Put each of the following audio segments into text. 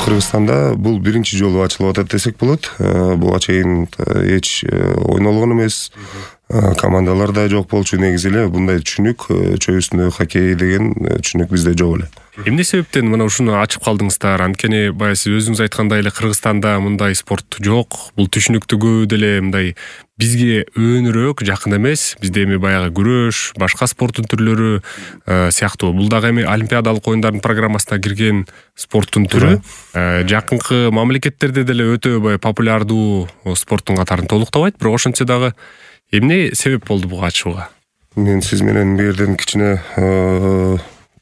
Кыргызстанда бул биринчи жолу ачылып атат десек болот. Буга чейин эч ойнолгон эмес. Командалар да жок болчу. Негизи эле мындай түшүнүк, чөй үстүндөгү хоккей деген түшүнүк бизде жок эле. Эмне себептен мына ушуну ачып калдыңыздар? Анткени баягы сиз өзүңүз айткандай эле Кыргызстанда мындай спорт жок. Бул түшүнүктүү көп деле мындай бизге өөнүрөөк, жакын эмес. Бизде эми баягы күрөш, башка спорттун түрлөрү сыяктуу. Бул дагы эми олимпиадалык оюндардын программасына кирген спорттун түрү. Жакынкы мамлекеттерде деле өтө баягы популярдуу спорттун катарын толуктабайт, бирок ошентсе дагы эмне себеп болду буга ачууга? Мен сиз менен бул жерден кичине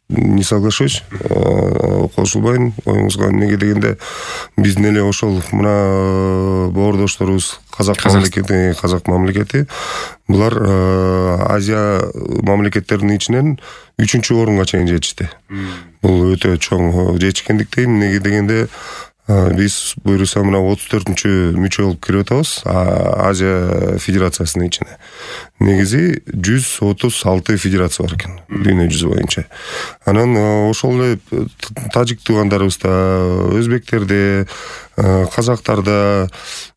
не соглашусь, кошулбайм оюңузга. Эмнеге дегенде биздин эле ошол мына боордошторубуз казак мамлекети булар Азия мамлекеттеринин ичинен 3-орунга чейин жетишти. Бул өтө чоң жетишкендиктен, эмнеге дегенде биз буюрса мына 34-мүчө болуп кирип атабыз Азия федерациясынын ичине. Негизи 136 федерация бар экен дүйнө жүзү боюнча. Анан ошол эле тажик туугандарыбызда, өзбектерде, казактарда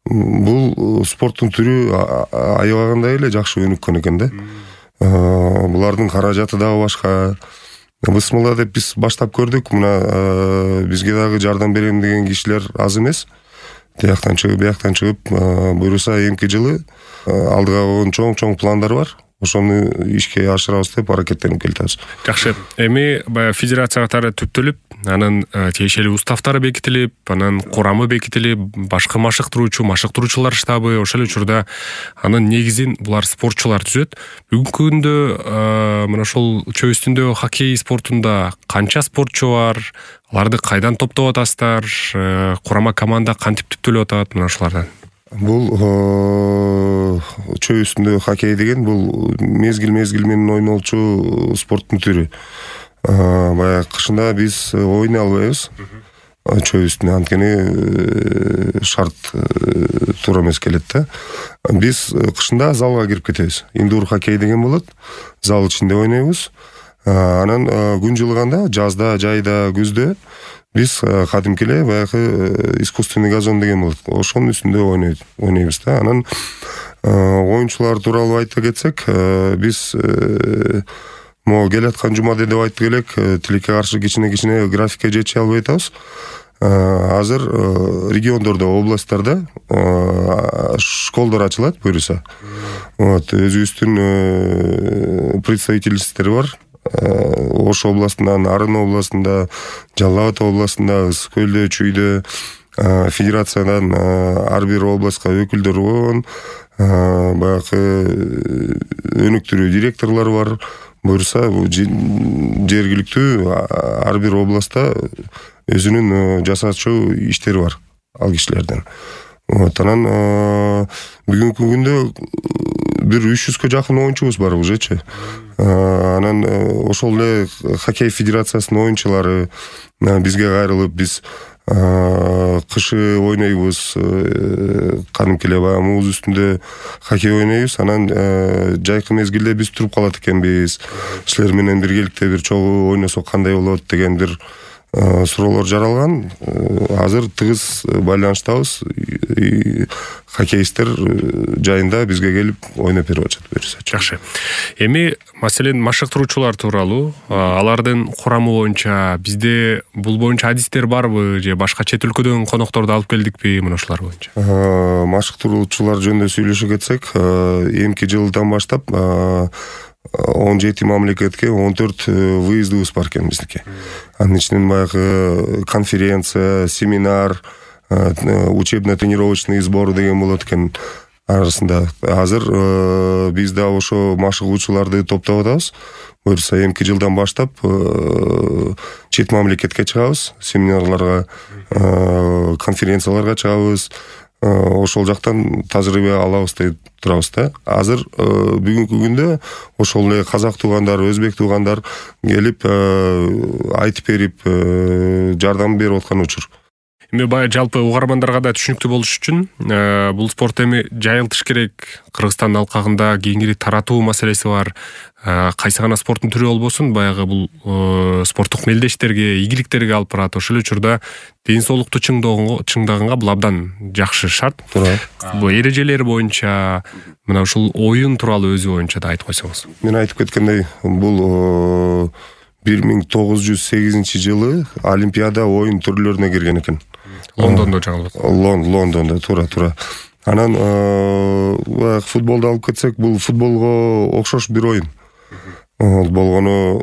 бул спорттун түрү аябагандай эле жакшы өнүккөн экен да. Булардын каражаты дагы башка. Бысмылла деп биз баштап көрдүк. Мына бизге дагы жардам берем деген кишилер аз эмес. Тияктан чыгып, бияктан чыгып, буюрса эмки жылы алдыга койгон чоң пландар бар. Ошону ишке ашырабыз деп аракеттенип келатабыз. Жакшы. Эми баягы федерация катары түптөлүп, анан тиешелүү уставтары бекитилип, анан курамы бекитилип, башкы машыктыруучулар штабы, ошол учурда анын негизин булар спортчулар түзөт. Бүгүнкү күндө мына ошол чөй үстүндө хоккей спортунда канча спортчу бар? Аларды кайдан топтоп атасыздар? Курама команда кантип түптөлүп атат мына ошолардан? Бул чөй үстүндө хоккей деген бул мезгил менен ойнолчу спорттун түрү. Баягы кышында биз ойнай албайбыз чөй үстүндө, анткени шарт туура эмес келет да. Биз кышында залга кирип кетебиз. Индур хоккей деген болот. Зал ичинде ойнойбуз. Анан күн жылыганда, жазда, жайда, күздө биз кадимки эле баягы искусственный газон деген болот. Ошонун үстүндө ойнойбуз да. Анан оюнчулар тууралуу айта кетсек, биз могу келаткан жумада деп айтып элек, тилекке каршы кичине графикке жетиши албай атабыз. Азыр региондордо, областтарда школдор ачылат буюрса. Өзүбүздүн представительстволор бар. Ош областынан, Арын областында, Жалал Абад областында, Ысык көлдө, Чүйдө федерациядан ар бир областка өкүлдөр болгон, баягы өнүктүрүү директорлор бар. Буюрса жергиликтүү ар бир областта өзүнүн жасаачу иштери бар ал кишилерден. Анан бүгүнкү күндө бир 300гө жакын оюнчубуз бар ужечи. Анан ошол эле хоккей федерациясынын оюнчулары бизге кайрылып, биз кышы ойнойбуз, кадимки эле баягы муз үстүндө хоккей ойнойбуз. Анан жайкы мезгилде биз туруп калат экенбиз. Силер менен биргеликте бир чогуу ойносок кандай болот деген бир суроолор жаралган. Азыр тыгыз байланыштабыз. Хоккеисттер жайында бизге келип ойноп берип атышат буюрса. Жакшы. Эми маселен машыктыруучулар тууралуу, алардын курамы боюнча бизде бул боюнча адистер барбы же башка чет өлкөдөн конокторду алып келдикпи мына ошолар боюнча? Машыктыруучулар жөнүндө сүйлөшө кетсек, эмки жылдан баштап 17 мамлекетке 14 выездыбыз бар экен биздики. Анын ичинен баягы конференция, семинар, учебно-тренировочный сбор деген болот экен арасында. Азыр биз да ошо машыгуучуларды топтоп атабыз. Буюрса эмки жылдан баштап чет мамлекетке чыгабыз, семинарларга, конференцияларга чыгабыз. Ошол жактан тажрыйба алабыз деп турабыз да. Азыр бүгүнкү күндө ошол эле казак туугандар, өзбек туугандар келип айтып берип, жардам берип аткан учур. Эми баягы жалпы угармандарга да түшүнүктүү болуш үчүн бул спорт эми жайылтыш керек. Кыргызстандын алкагында кеңири таратуу маселеси бар. Кайсы гана спорттун түрү болбосун, баягы бул спорттук мелдештерге, ийгиликтерге алып барат. Ошол учурда ден соолукту чыңдаганга бул абдан жакшы шарт. Бул эрежелери боюнча мына ушул оюн тууралуу өзү боюнча да айтып койсоңуз. Мен айтып кеткендей, бул 1908 жылы Олимпиада оюн түрлөрүнө кирген экен. Лондондо жаңылып атат. Лондондо туура. Анан футболду алып кетсек, бул футболго окшош бир оюн. Болгону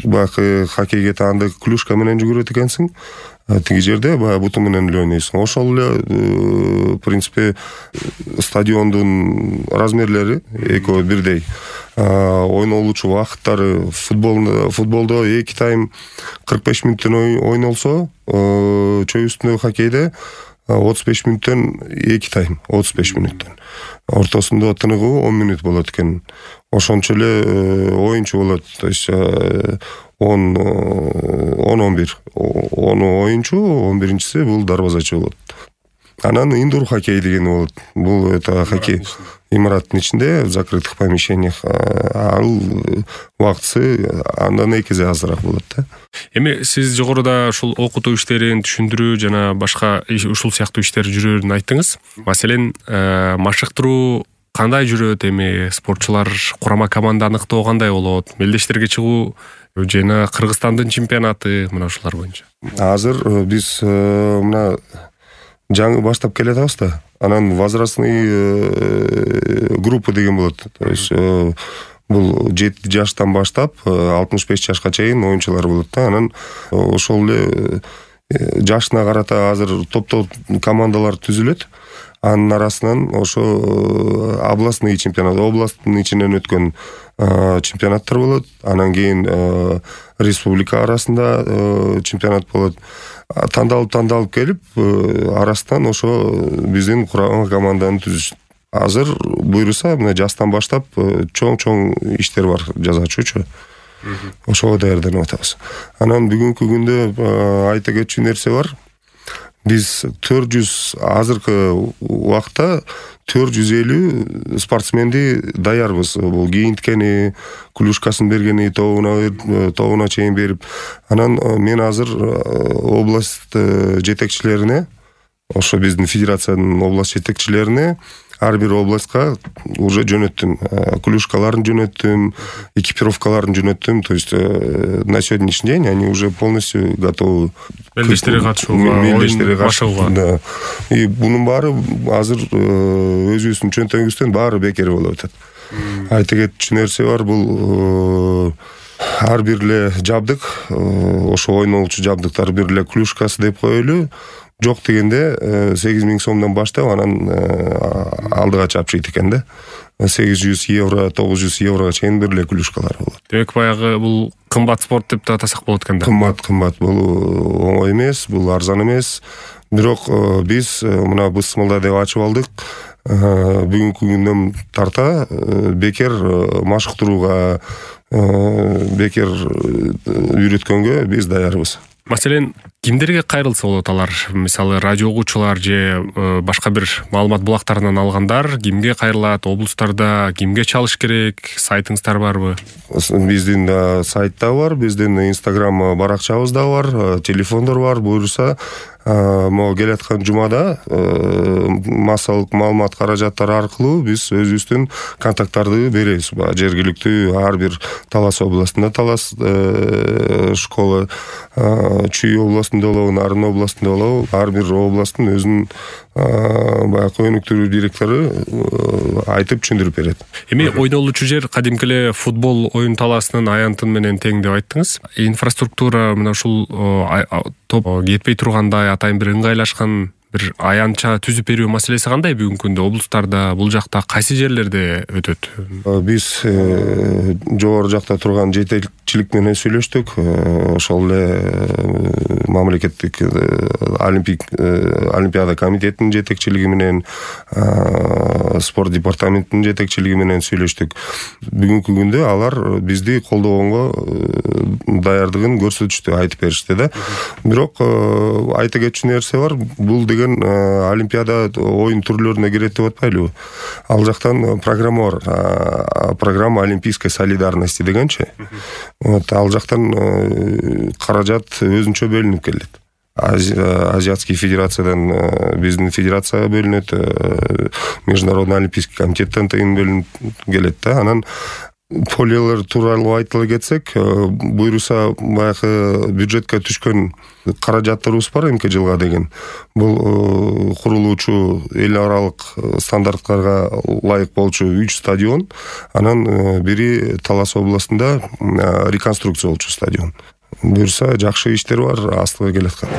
баягы хоккейге таанды клюшка менен жүгүрөт экенсиң. Тиги жерде баягы буту менен эле ойнойсуң. Ошол эле в принципе стадиондун размерлери экөө бирдей. Ойнолуучу убакыттары футболдо 2 тайм 45 мүнөттөн ойнолсо, чөй үстүндөгү хоккейде 35 мүнөттөн 2 тайм 35 мүнөттөн. Ортосунда тыныгуу 10 мүнөт болот экен. Ошончо эле оюнчу болот. То есть 10-11. Ону оюнчу, 11-инчиси бул дарбазачы болот. Анан индур хоккей деген болот. Бул это хоккей имараттын ичинде, в закрытых помещениях. Ал убактысы андан 2 эсе азыраак болот да. Эми сиз жогоруда ушул окутуу иштерин, түшүндүрүү жана башка ушул сыяктуу иштер жүрөрүн айттыңыз. Маселен, машыктыруу кандай жүрөт, эми спортчулар курама команда аныктоо кандай болот, мелдештерге чыгуу жана Кыргызстандын чемпионаты, мына ушулар боюнча. Азыр биз мына жаңы баштап келатабыз да. Анан возрастный группа деген болот. То есть бул 7 жаштан баштап 65 жашка чейин оюнчулар болот да. Анан ошол эле жашына карата азыр топтоо командалар түзүлөт. Анын арасынан ошо областный чемпионат, областтын ичинен өткөн чемпионаттар болот. Анан кийин республика арасында чемпионат болот. Тандалып келип, арасынан ошо биздин курама команданы түзүшөт. Азыр буйруса, мына жастан баштап чоң иштер бар жасачучу. Ошого даярданып атабыз. Анан бүгүнкү күндө айта кетчү нерсе бар. Биз 400 азыркы убакта 450 спортсменди даярбыз. Бул кийинткени, клюшкасын бергени, тобуна чейин берип. Анан мен азыр область жетекчилерине, ошо биздин федерациянын область жетекчилерине ар бир областка уже жөнөттүм. Клюшкаларын жөнөттүм, экипировкаларын жөнөттүм. То есть на сегодняшний день они уже полностью готовы. Мелдештерге катышууга, оюн башууга. Да. И бунун баары азыр өзүбүздүн чөнтөгүбүздөн баары бекер болуп атат. Айта кетчү нерсе бар, бул ар бир эле жабдык, ошо ойнолчу жабдыктар бир эле клюшкасы деп коелу. Жок дегенде 8000 сомдон баштап анан алдыга чапшыйт экен да. 800 евро, 900 еврого чейин бир эле клюшкалар болот. Демек баягы бул кымбат спорт деп атасак болот экен да. Кымбат. Бул оңой эмес, бул арзан эмес. Бирок биз мына бысмылда деп ачып алдык. Бүгүнкү күндөн тарта бекер машыктырууга, бекер үйрөткөнгө биз даярбыз. Маселен, кимдерге кайрылса болот алар? Мисалы, радио угуучулар же башка бир маалымат булактарынан алгандар кимге кайрылат? Облустарда кимге чалыш керек? Сайтыңыздар барбы? Биздин сайт да бар, биздин Instagram баракчабыз да бар, телефондор бар. Буйруса, могу келаткан жумада массалык маалымат каражаттары аркылуу биз өзүбүздүн контакттарды беребиз. Жергиликтүү ар бир Талас областында Талас школа, Чүй областында болобу, Нарын областында болобу, ар бир областтын өзүнүн баягы өнүктүрүү директору айтып түшүндүрүп берет. Эми ойнолучу жер кадимки эле футбол оюн талаасынын аянтын менен тең деп айттыңыз. Инфраструктура мына ушул топ кетпей тургандай атайын бир ыңгайлашкан бир аянтча түзүп берүү маселеси кандай бүгүнкү күндө? Облустарда, бул жакта кайсы жерлерде өтөт? Биз жогору жакта турган жетекчилик менен сүйлөштүк. Ошол эле мамлекеттик олимпиада комитетинин жетекчилиги менен, спорт департаментинин жетекчилиги менен сүйлөштүк. Бүгүнкү күндө алар бизди колдогонго даярдыгын көрсөтүштү, айтып беришти да. Бирок айта кетчү нерсе бар. Бул деген олимпиада оюн түрлөрүнө кирет деп атпайлыбы? Ал жактан программа бар. Программа олимпийской солидарности дегенчи. Ал жактан каражат өзүнчө бөлүнүп келет. Азиатский федерациядан биздин федерацияга бөлүнөт, Международный олимпийский комитеттен тыйын бөлүнүп келет да. Анан полиялар тууралуу айтыла кетсек, буюрса баягы бюджетке түшкөн каражаттарыбыз бар эмки жылга деген. Бул курулуучу эл аралык стандарттарга ылайык болчу 3 стадион, анан бири Талас областында реконструкция болчу стадион. Буюрса жакшы иштер бар, астыга келаткан.